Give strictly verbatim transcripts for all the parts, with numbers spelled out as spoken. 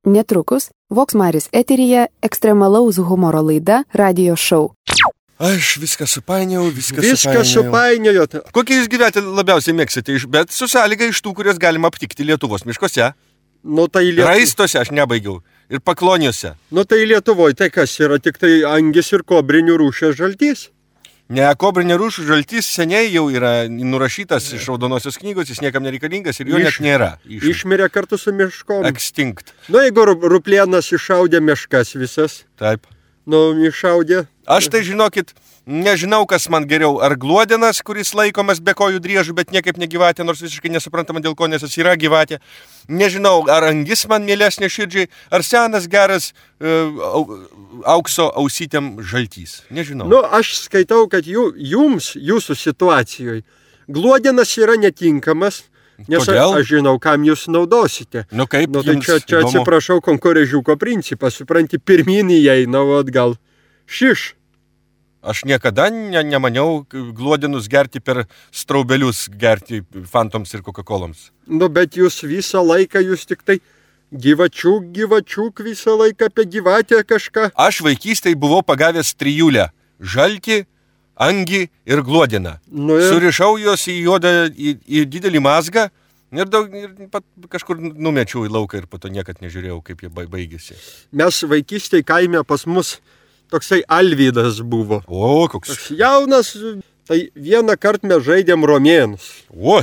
Netrukus Vox Maris eteryje ekstremalaus humoro laida Radio Show. Aš viską supainiau, viską, viską supainiau. supainiojot. Kokie jūs gyventi labiausiai mėgsite, bet su sąlyga iš tų, kurias galima aptikti Lietuvos miškose? Nu, tai Lietu... Raistuose aš nebaigiau ir pakloniuose. Nu, tai Lietuvoje tai kas yra, tik tai angis ir kobrinių rūšės žaltys. Ne, kobrinė rūšių žaltys seniai jau yra nurašytas iš raudonosios knygos, jis niekam nereikalingas ir jo Iš, net nėra. Iš... Išmirė kartu su miškom. Extinct. Nu, jeigu ruplėnas iššaudė miškas visas. Taip. Nu, iššaudė. Aš tai žinokit, nežinau, kas man geriau. Ar gluodenas, kuris laikomas be kojų driežų, bet niekaip negyvatė, nors visiškai nesuprantama dėl ko, nes jis yra gyvatė. Nežinau, ar angis man mielesnė širdžiai, ar senas geras uh, aukso ausytėm žaltys. Nežinau. Nu, aš skaitau, kad jų, jums, jūsų situacijoje, gluodenas yra netinkamas. Nes Kodėl? Aš žinau, kam jūs naudosite. Nu kaip nu, tai jums čia, čia įdomu? Atsiprašau, konkurežiuko principas, supranti, pirminį įeina, o atgal šiš. Aš niekada ne, nemaniau gluodinus gerti per straubelius, gerti fantoms ir Coca-Coloms. Nu, bet jūs visą laiką, jūs tik tai gyvačiuk, gyvačiuk visą laiką apie gyvatę kažką. Aš vaikystėje buvau pagavęs trijulę. Žaltį, angį ir gluodiną. Nu, ir... Surišau juos į juodą, į, į didelį mazgą ir, daug, ir pat kažkur numečiau į lauką ir po to niekad nežiūrėjau, kaip jie baigėsi. Mes vaikystėje kaime pas mus toksai Alvydas buvo. O, koks. Toks jaunas, tai vieną kartą mes žaidėm romėnus. O,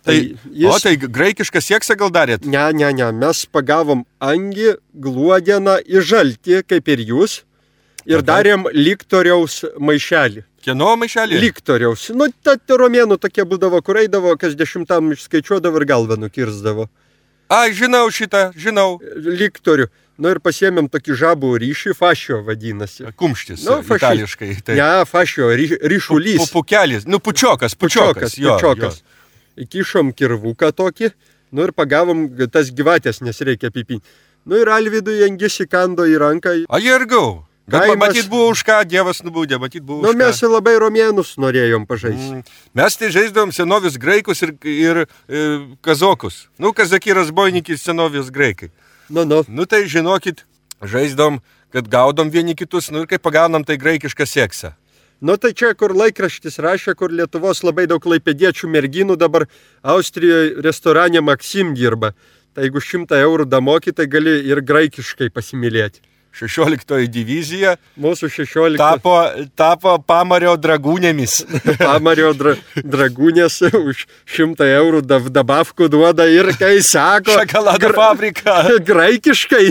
tai, jis... o, tai graikišką seksą gal darėt? Ne, ne, ne, mes pagavom angį, gluodeną ir žaltį, kaip ir jūs, ir Tada? darėm liktoriaus maišelį. Kieno maišelį? Liktoriaus. Nu, ta romėnų tokie būdavo, kur eidavo, kas dešimtam išskaičiuodavo ir galvą nukirsdavo. A, žinau šitą, žinau. Liktorių. Nu ir pasiėmėm tokį žabų ryšį, fašio vadinasi. Kumštis, nu, faši... itališkai. Tai... Ne, fašio, ry, ryšulys. Pupukelis, nu pučiokas, pučiokas. Pučiokas, jo, pučiokas. Jo. Įkišom kirvuką tokį, nu ir pagavom tas gyvatės, nes reikia pipinti. Nu ir Alvydui angis įkando į ranką. A, jergau. Bet Kaimas... matyt buvo už ką, Dievas nubaudė, matyt buvo nu, už ką. Nu mes labai romėnus norėjom pažaisti. Mm. Mes tai žaisdavom senovis graikus ir, ir, ir kazokus. Nu, kazaki razbojnikis senovis graikai. Nu, nu. Nu, tai žinokit, žaisdavom, kad gaudom vieni kitus, nu ir kai pagaunam tai graikišką seksą. Nu, tai čia, kur laikraštis rašė, kur Lietuvos labai daug klaipėdiečių merginų dabar Austrijoje restorane Maksim dirba. Tai jeigu šimtą eurų damoki, tai gali ir graikiškai pasimylėti. šešioliktoji divizija mūsų šešiolikta tapo, tapo Pamario dragūnėmis. Pamario dra, dragūnės už šimtą eurų dav, dabavkų duoda ir kai sako šokolado fabriką graikiškai.